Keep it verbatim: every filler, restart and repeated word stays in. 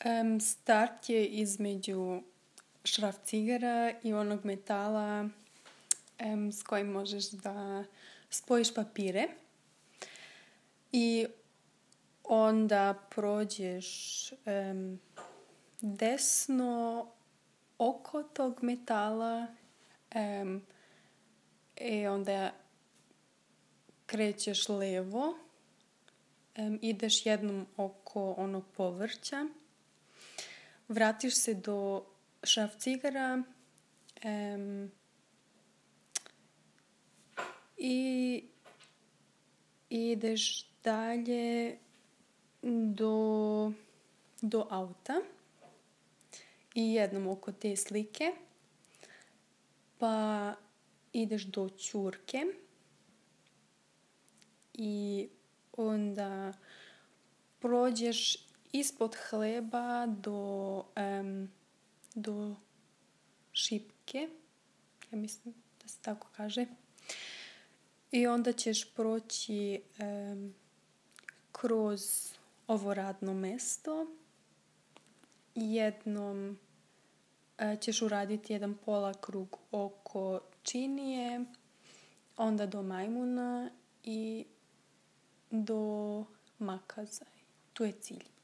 Um, start je između šrafcigera i onog metala um, s kojim možeš da spojiš papire. I onda prođeš um, desno oko tog metala um, i onda krećeš levo, um, ideš jednom oko onog povrća, vratiš se do šrafcigera um, i ideš dalje do, do auta i jednom oko te slike, pa ideš do ćurke i onda prođeš ispod hleba do, um, do šipke, ja mislim da se tako kaže. I onda ćeš proći um, kroz ovo radno mesto. Jednom uh, ćeš uraditi jedan pola krug oko činije, onda do majmuna i do makaza. Tu je cilj.